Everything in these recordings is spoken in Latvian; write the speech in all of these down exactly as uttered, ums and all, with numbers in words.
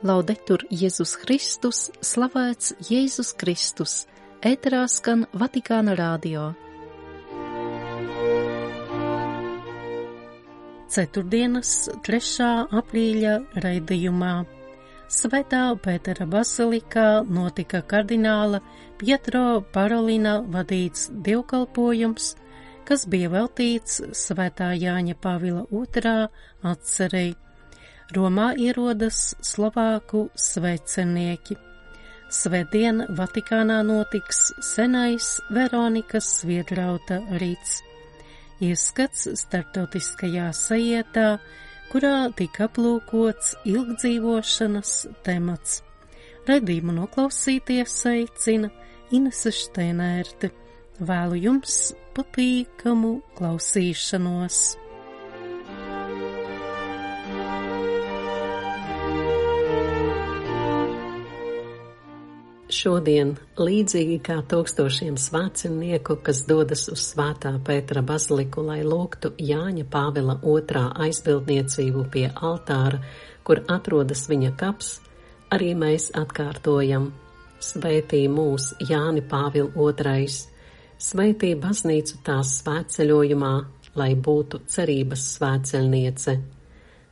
Laudetur Jēzus Kristus, slavēts Jēzus Kristus, ēterā skan Vatikāna radio. Ceturtdienas, trešā aprīļa raidījumā. Svētā Pētera bazilikā notika kardināla Pietro Parolina vadīts dievkalpojums, kas bija veltīts Svētā Jāņa Pāvila otrā atcerei. Romā ierodas Slovāku sveicenieki. Svētdien Vatikānā notiks senais Veronikas Sviedrauta rīts. Ieskats starptautiskajā sajietā, kurā tika aplūkots ilgdzīvošanas temats. Raidījumu noklausīties aicina Inese Šteinērte. Vēlu jums patīkamu klausīšanos. Šodien, līdzīgi kā tūkstošiem svētceļnieku, kas dodas uz Svētā Pētera baziliku, lai lūgtu Jāņa Pāvila otrā aizbildniecību pie altāra, kur atrodas viņa kaps, arī mēs atkārtojam: Svētī mūs, Jāni Pāvila otrais, svētī baznīcu tās svētceļojumā, lai būtu cerības svētceļniece.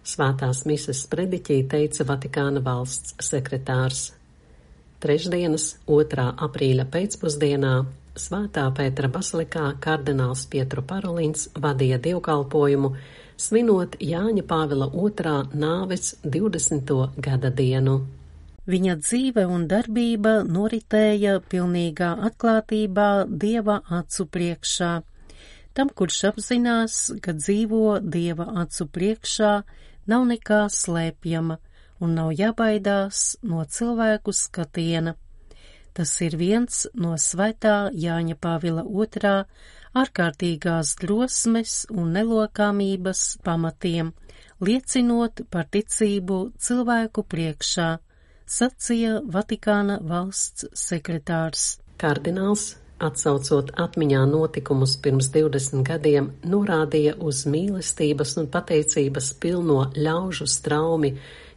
Svētās mises prediķī teica Vatikāna valsts sekretārs. Trešdienas, otrā aprīļa pēcpusdienā, Svētā Pētera bazilikā kardināls Pietro Parolins vadīja dievkalpojumu, svinot Jāņa Pāvila otrā nāves divdesmito gada dienu. Viņa dzīve un darbība noritēja pilnīgā atklātībā Dieva acu priekšā. Tam, kurš apzinās, ka dzīvo Dieva acu priekšā, nav nekā slēpjama un nav jābaidās no cilvēku skatiena. Tas ir viens no Svētā Jāņa Pāvila otrā ārkārtīgās drosmes un nelokāmības pamatiem, liecinot par ticību cilvēku priekšā, sacīja Vatikāna valsts sekretārs. Kardināls, atsaucot atmiņā notikumus pirms divdesmit gadiem, norādīja uz mīlestības un pateicības pilno ļaužu straumi,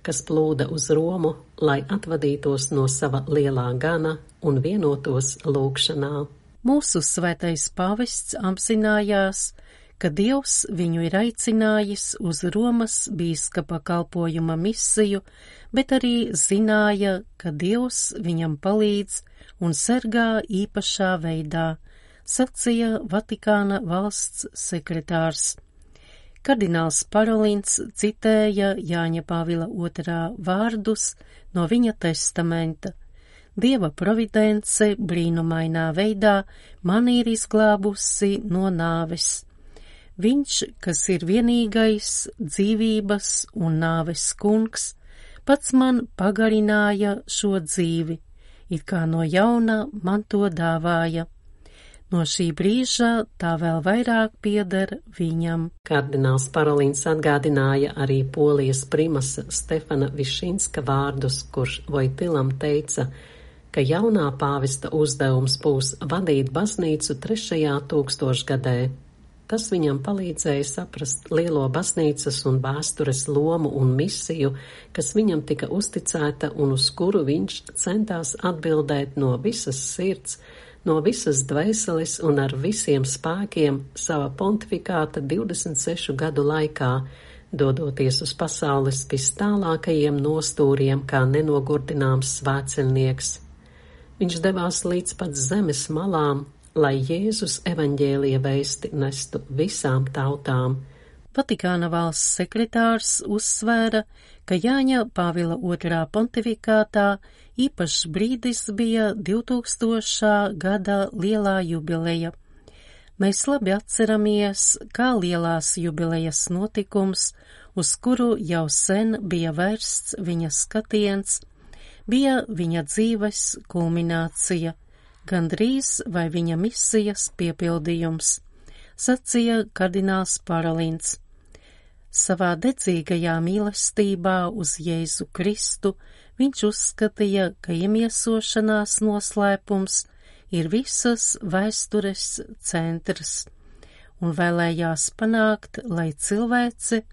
kas plūda uz Romu, lai atvadītos no sava lielā gana un vienotos lūgšanā. Mūsu svētais pāvests apzinājās, ka Dievs viņu ir aicinājis uz Romas bīskapa kalpojuma misiju, bet arī zināja, ka Dievs viņam palīdz un sargā īpašā veidā, sacīja Vatikāna valsts sekretārs. Kardināls Parolins citēja Jāņa Pāvila otrā vārdus no viņa testamenta. Dieva providence brīnumainā veidā mani ir izglābusi no nāves. Viņš, kas ir vienīgais dzīvības un nāves kungs, pats man pagarināja šo dzīvi, it kā no jauna man to dāvāja. No šī brīža tā vēl vairāk pieder viņam. Kardināls Parolins atgādināja arī Polijas primasa Stefana Višinska vārdus, kurš Vojtilam teica, ka jaunā pāvesta uzdevums būs vadīt baznīcu trešajā tūkstošgadē. Tas viņam palīdzēja saprast lielo baznīcas un vēstures lomu un misiju, kas viņam tika uzticēta un uz kuru viņš centās atbildēt no visas sirds, no visas dvēseles un ar visiem spēkiem sava pontifikāta divdesmit sešu gadu laikā, dodoties uz pasaules vistālākajiem nostūriem kā nenogurdināms svētceļnieks. Viņš devās līdz pat zemes malām, lai Jēzus evaņģēlija vēsti nestu visām tautām. Vatikāna valsts sekretārs uzsvēra, ka Jāņa Pāvila otrā pontifikātā īpašs brīdis bija divtūkstošā gada lielā jubileja. Mēs labi atceramies, kā lielās jubilejas notikums, uz kuru jau sen bija vērsts viņa skatiens, bija viņa dzīves kulminācija, gandrīz vai viņa misijas piepildījums, sacīja kardināls Parolins. Savā dedzīgajā mīlestībā uz Jēzu Kristu viņš uzskatīja, ka iemiesošanās noslēpums ir visas vēstures centrs, un vēlējās panākt, lai cilvēce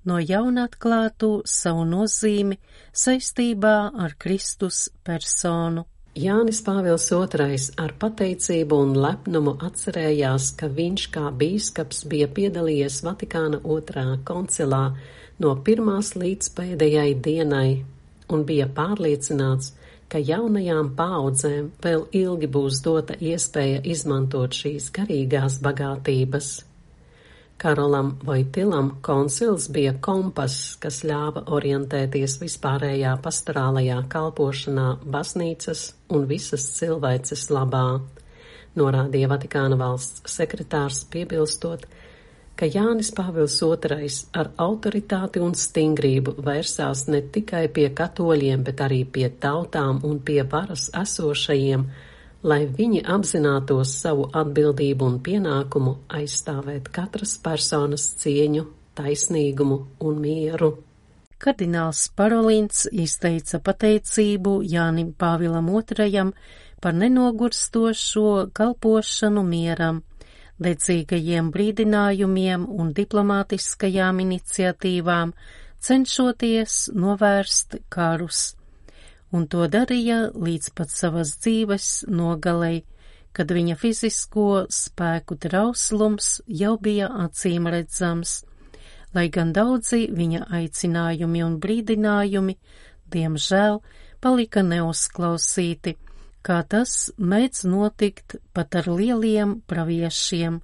no jauna atklātu savu nozīmi saistībā ar Kristus personu. Jānis Pāvils otrais ar pateicību un lepnumu atcerējās, ka viņš kā bīskaps bija piedalījies Vatikāna otrā koncilā no pirmās līdz pēdējai dienai un bija pārliecināts, ka jaunajām paaudzēm vēl ilgi būs dota iespēja izmantot šīs garīgās bagātības. Karolam Vojtilam koncils bija kompass, kas ļāva orientēties vispārējā pastorālajā kalpošanā baznīcas un visas cilvēces labā, norādīja Vatikāna valsts sekretārs, piebilstot, ka Jānis Pāvils otrais ar autoritāti un stingrību vērsās ne tikai pie katoļiem, bet arī pie tautām un pie varas esošajiem, lai viņi apzinātos savu atbildību un pienākumu aizstāvēt katras personas cieņu, taisnīgumu un mieru. Kardināls Parolins izteica pateicību Jānim Pāvilam otrajam par nenogurstošo kalpošanu mieram, dedzīgajiem brīdinājumiem un diplomātiskajām iniciatīvām, cenšoties novērst karus. Un to darīja līdz pat savas dzīves nogalei, kad viņa fizisko spēku trauslums jau bija acīm redzams, lai gan daudzi viņa aicinājumi un brīdinājumi, diemžēl, palika neuzklausīti, kā tas mēdz notikt pat ar lieliem praviešiem,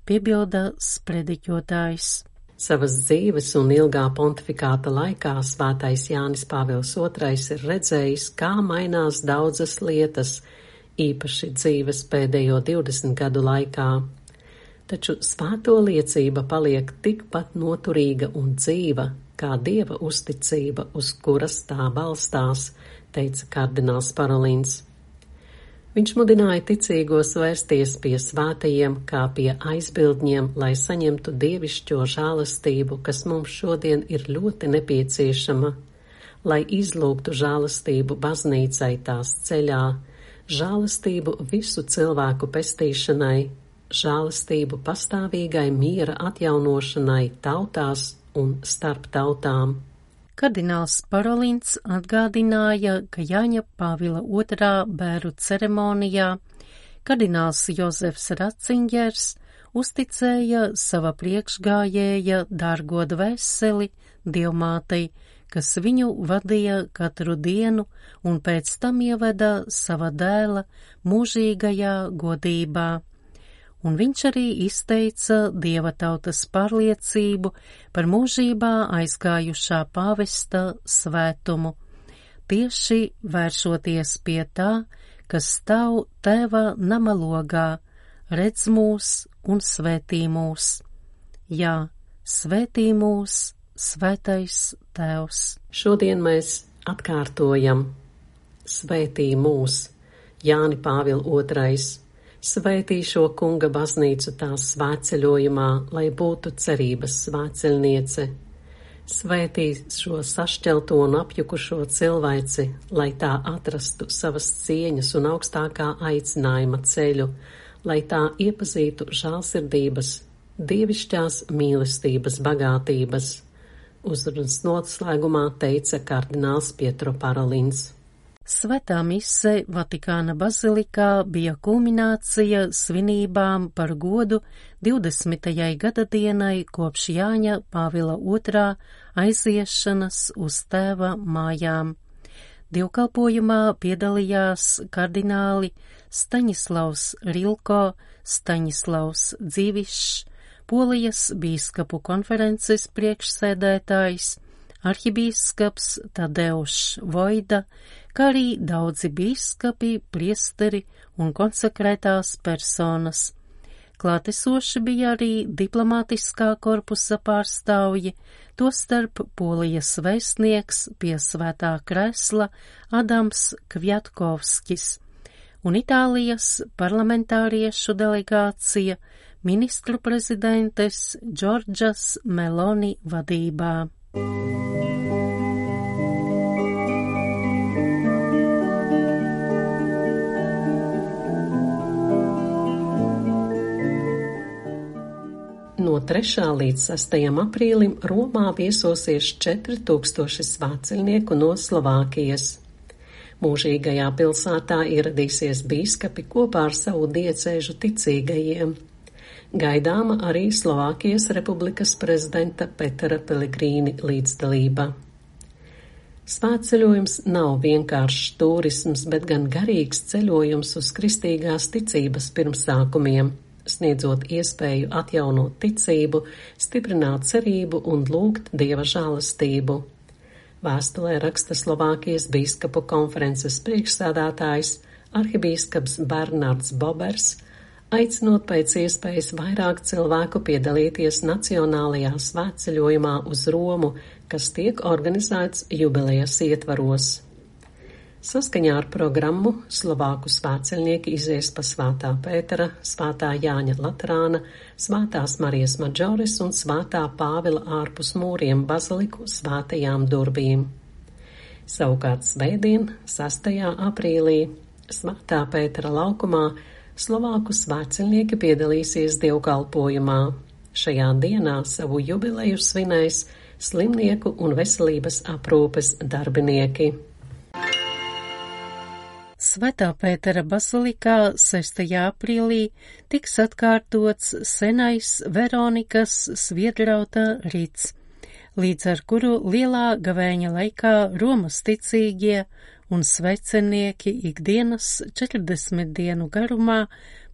piebilda sprediķotājs. Savas dzīves un ilgā pontifikāta laikā svētais Jānis Pāvils otrais ir redzējis, kā mainās daudzas lietas, īpaši dzīves pēdējo divdesmit gadu laikā. Taču svēto liecība paliek tikpat noturīga un dzīva, kā Dieva uzticība, uz kuras tā balstās, teica kardināls Parolins. Viņš mudināja ticīgos vērsties pie svētajiem kā pie aizbildņiem, lai saņemtu dievišķo žālastību, kas mums šodien ir ļoti nepieciešama, lai izlūgtu žālastību baznīcai tās ceļā, žālastību visu cilvēku pestīšanai, žālastību pastāvīgai miera atjaunošanai tautās un starp tautām. Kardināls Parolins atgādināja, ka Jāņa Pāvila otrā bēru ceremonijā kardināls Jozefs Ratzingers uzticēja sava priekšgājēja dārgo dvēseli Dievmātei, kas viņu vadīja katru dienu un pēc tam ieveda sava dēla mūžīgajā godībā. Un viņš arī izteica Dieva tautas pārliecību par mūžībā aizgājušā pāvesta svētumu, tieši vēršoties pie tā, kas stāv Tēva nama logā, redz mūs un svētī mūs. Jā, svētī mūs, svētais Tēvs. Šodien mēs atkārtojam svētī mūs, Jāni Pāvila otrais. Svētī šo kunga baznīcu tās svētceļojumā, lai būtu cerības svētceļniece. Svētī šo sašķelto un apjukušo cilvēci, lai tā atrastu savas cieņas un augstākā aicinājuma ceļu, lai tā iepazītu žēlsirdības, dievišķās mīlestības bagātības. Uzrunas noslēgumā teica kardināls Pietro Parolins. Svētā mise Vatikāna bazilikā bija kulminācija svinībām par godu divdesmitajai gadadienai kopš Jāņa Pāvila otrā aiziešanas uz tēva mājām. Dievkalpojumā piedalījās kardināli Staņislavs Rilko, Staņislavs Dzīvišs, Polijas bīskapu konferences priekšsēdētājs, arhibīskaps Tadeušs Vojda, kā arī daudzi bīskapi, priesteri un konsekrētās personas. Klātesoši bija arī diplomātiskā korpusa pārstāvji, tostarp Polijas vēstnieks pie Svētā krēsla Adams Kviatkovskis un Itālijas parlamentāriešu delegācija ministru prezidentes Džordžas Meloni vadībā. No trešā līdz sastajam aprīlim Romā viesosies četri tūkstoši svētceļnieku no Slovākijas. Mūžīgajā pilsētā ieradīsies bīskapi kopā ar savu diecēžu ticīgajiem. Gaidāma arī Slovākijas republikas prezidenta Petera Pelegrīni līdzdalība. Svētceļojums nav vienkāršs turisms, bet gan garīgs ceļojums uz kristīgās ticības pirmsākumiem, sniedzot iespēju atjaunot ticību, stiprināt cerību un lūgt Dieva žēlastību. Vēstulē raksta Slovākijas bīskapu konferences priekšsēdētājs arhibīskaps Bernards Bobers, aicinot pēc iespējas vairāk cilvēku piedalīties nacionālajā svētceļojumā uz Romu, kas tiek organizēts jubilejas ietvaros. Saskaņā ar programmu Slovāku svētceļnieki izies pa Svētā Pētera, Svētā Jāņa Laterāna, Svētās Marijas Madžores un Svētā Pāvila ārpus mūriem baziliku svētajām durvīm. Savukārt svētdien, sastajā aprīlī, Svētā Pētera laukumā, Slovāku svētceļnieki piedalīsies dievkalpojumā. Šajā dienā savu jubileju svinēs slimnieku un veselības aprūpes darbinieki. Svētā Pētera bazilikā sestajā aprīlī tiks atkārtots senais Veronikas sviedrauta rits, līdz ar kuru lielā gavēņa laikā Romas ticīgie un svecenieki ikdienas četrdesmit dienu garumā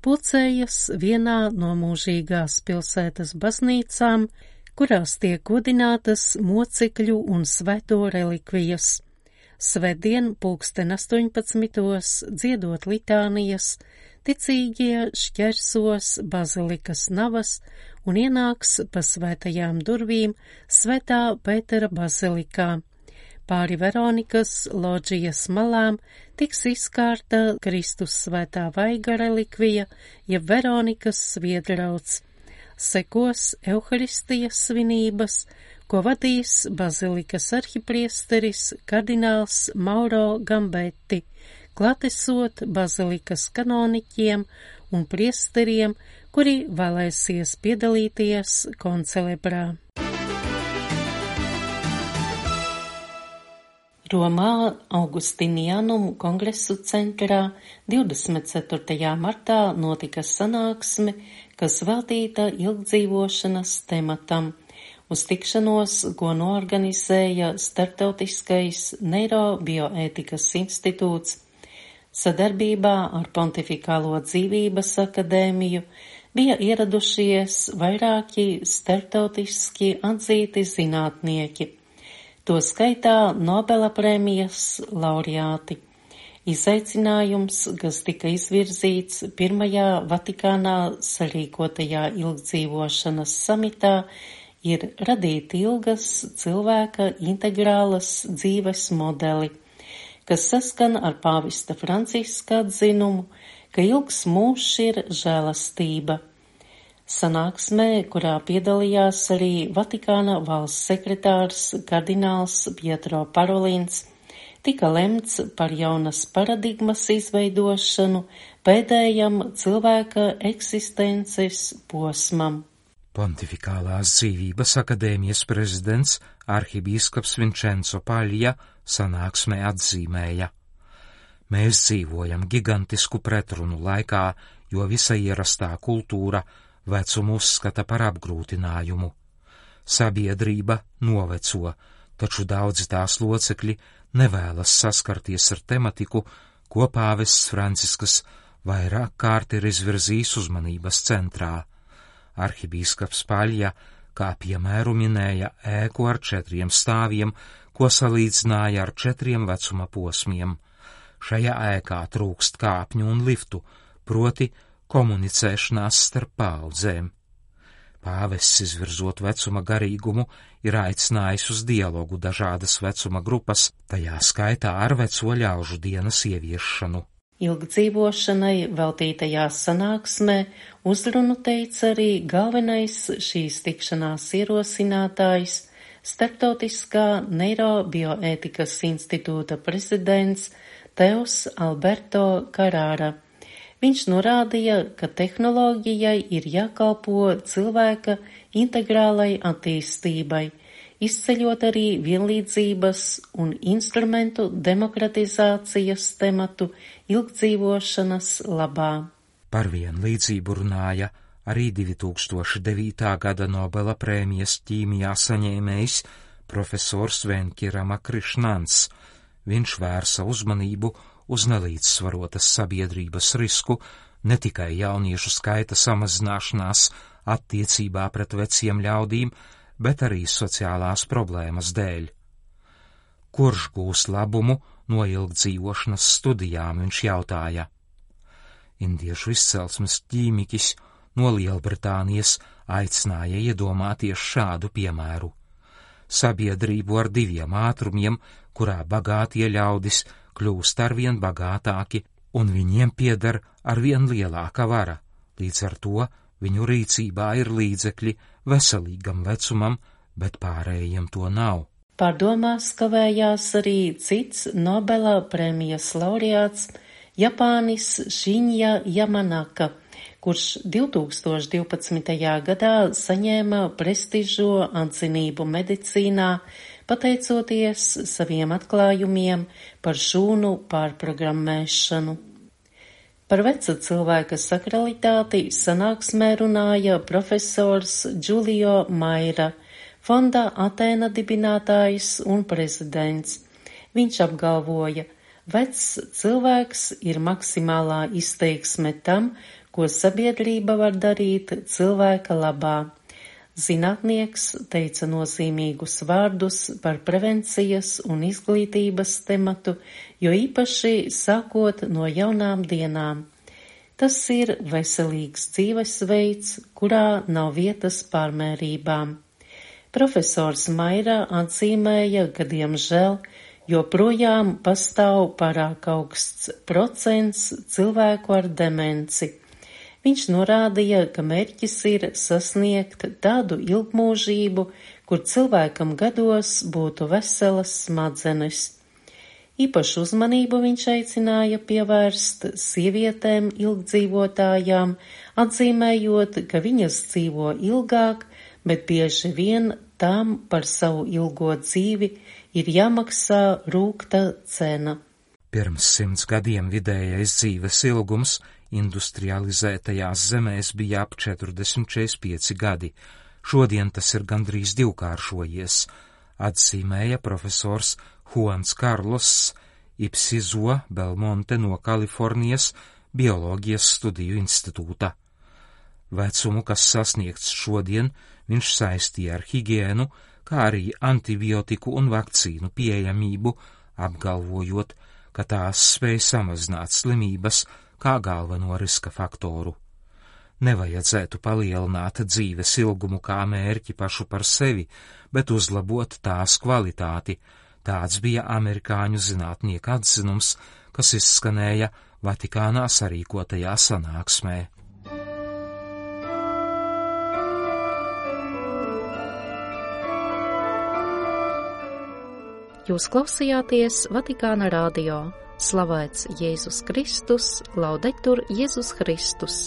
pulcējas vienā no mūžīgās pilsētas baznīcām, kurās tiek godinātas mocekļu un svēto relikvijas. Svētdien pulksten astoņpadsmitos dziedot litānijas, ticīgie šķersos bazilikas navas un ienāks pa svētajām durvīm Svētā Pētera bazilikā. Pāri Veronikas loģijas malām tiks izkārta Kristus svētā vaiga relikvija, jeb Veronikas sviedrauts. Sekos Euharistijas svinības, ko vadīs bazilikas arhipriesteris kardināls Mauro Gambetti, klātesot bazilikas kanoniķiem un priesteriem, kuri vēlēsies piedalīties koncelebrā. Romā Augustinianum kongresu centrā divdesmit ceturtajā martā notika sanāksme, kas veltīta ilgdzīvošanas tematam, uz tikšanos, ko noorganizēja Startautiskais Neirobioētikas institūts. Sadarbībā ar Pontifikālo dzīvības akadēmiju bija ieradušies vairāki startautiski atzīti zinātnieki, to skaitā Nobela prēmijas laureāti. Izaicinājums, kas tika izvirzīts pirmajā Vatikānā sarīkotajā ilgdzīvošanas samitā, ir radīt ilgas cilvēka integrālas dzīves modeli, kas saskan ar pāvesta Franciska atzinumu, ka ilgs mūžs ir žēlastība. Sanāksmē, kurā piedalījās arī Vatikāna valsts sekretārs kardināls Pietro Parolins, tika lemts par jaunas paradigmas izveidošanu pēdējam cilvēka eksistences posmam. Pontifikālās dzīvības akadēmijas prezidents arhibīskaps Vincenzo Paļja sanāksmē atzīmēja: Mēs dzīvojam gigantisku pretrunu laikā, jo visa ierastā kultūra vecumu uzskata par apgrūtinājumu. Sabiedrība noveco, taču daudzi tās locekļi nevēlas saskarties ar tematiku, ko pāvests Francisks vairāk kārt ir izvirzījis uzmanības centrā. Arhibīskaps Paļja, kā piemēru minēja ēku ar četriem stāviem, ko salīdzināja ar četriem vecuma posmiem. Šajā ēkā trūkst kāpņu un liftu, proti komunicēšanās starp paaudzēm. Pāvests, izvirzot vecuma garīgumu, ir aicinājis uz dialogu dažādas vecuma grupas, tajā skaitā ar veco ļaužu dienas ieviešanu. Ilgdzīvošanai veltītajā sanāksmē uzrunu teica arī galvenais šīs tikšanās ierosinātājs, Startautiskā Neirobioētikas institūta prezidents Teos Alberto Carrara, Viņš norādīja, ka tehnoloģijai ir jākalpo cilvēka integrālai attīstībai, izceļot arī vienlīdzības un instrumentu demokratizācijas tematu ilgdzīvošanas labā. Par vienlīdzību runāja arī divi tūkstoši devītā gada Nobela prēmijas ķīmijā saņēmējs profesors Venkirama Krišnans. Viņš vērsa uzmanību uz nelīdzsvarotas sabiedrības risku ne tikai jauniešu skaita samazināšanās attiecībā pret veciem ļaudīm, bet arī sociālās problēmas dēļ. Kurš gūs labumu no ilgdzīvošanas studijām, viņš jautāja. Indiešu izcelsmes ķīmiķis no Lielbritānijas aicināja iedomāties šādu piemēru. Sabiedrību ar diviem ātrumiem, kurā bagātie ļaudis kļūst arvien bagātāki, un viņiem pieder arvien lielāka vara. Līdz ar to viņu rīcībā ir līdzekļi veselīgam vecumam, bet pārējiem to nav. Pārdomās kavējās arī cits Nobela prēmijas laureāts Japānis Šiņja Jamanaka, kurš divtūkstoš divpadsmitajā gadā saņēma prestižo atzinību medicīnā, pateicoties saviem atklājumiem par šūnu pārprogrammēšanu. Par veca cilvēka sakralitāti sanāksmē runāja profesors Giulio Maira, fonda Atēna dibinātājs un prezidents. Viņš apgalvoja, vecs cilvēks ir maksimālā izteiksme tam, ko sabiedrība var darīt cilvēka labā. Zinātnieks teica nozīmīgus vārdus par prevencijas un izglītības tematu, jo īpaši sākot no jaunām dienām. Tas ir veselīgs dzīvesveids, kurā nav vietas pārmērībām. Profesors Maira atzīmēja, ka diemžēl joprojām pastāv pārāk augsts procents cilvēku ar demenci. Viņš norādīja, ka mērķis ir sasniegt tādu ilgmūžību, kur cilvēkam gados būtu veselas smadzenes. Īpašu uzmanību viņš aicināja pievērst sievietēm ilgdzīvotājām, atzīmējot, ka viņas dzīvo ilgāk, bet bieži vien tām par savu ilgo dzīvi ir jāmaksā rūgta cena. Pirms simts gadiem vidējais dzīves ilgums industrializētajās zemēs bija ap četrdesmit četrdesmit pieci gadi. Šodien tas ir gandrīz divkāršojies, atzīmēja profesors Juans Carlos Ipsizo Belmonte no Kalifornijas Bioloģijas studiju institūta. Vecumu, kas sasniegts šodien, viņš saistīja ar higiēnu, kā arī antibiotiku un vakcīnu pieejamību, apgalvojot, ka tās spēj samazināt slimības kā galveno riska faktoru. Nevajadzētu palielināt dzīves ilgumu kā mērķi pašu par sevi, bet uzlabot tās kvalitāti. Tāds bija amerikāņu zinātnieku atzinums, kas izskanēja Vatikānā sarīkotajā sanāksmē. Jūs klausījāties Vatikāna radio. Slavēts Jēzus Kristus, laudetur Jēzus Kristus.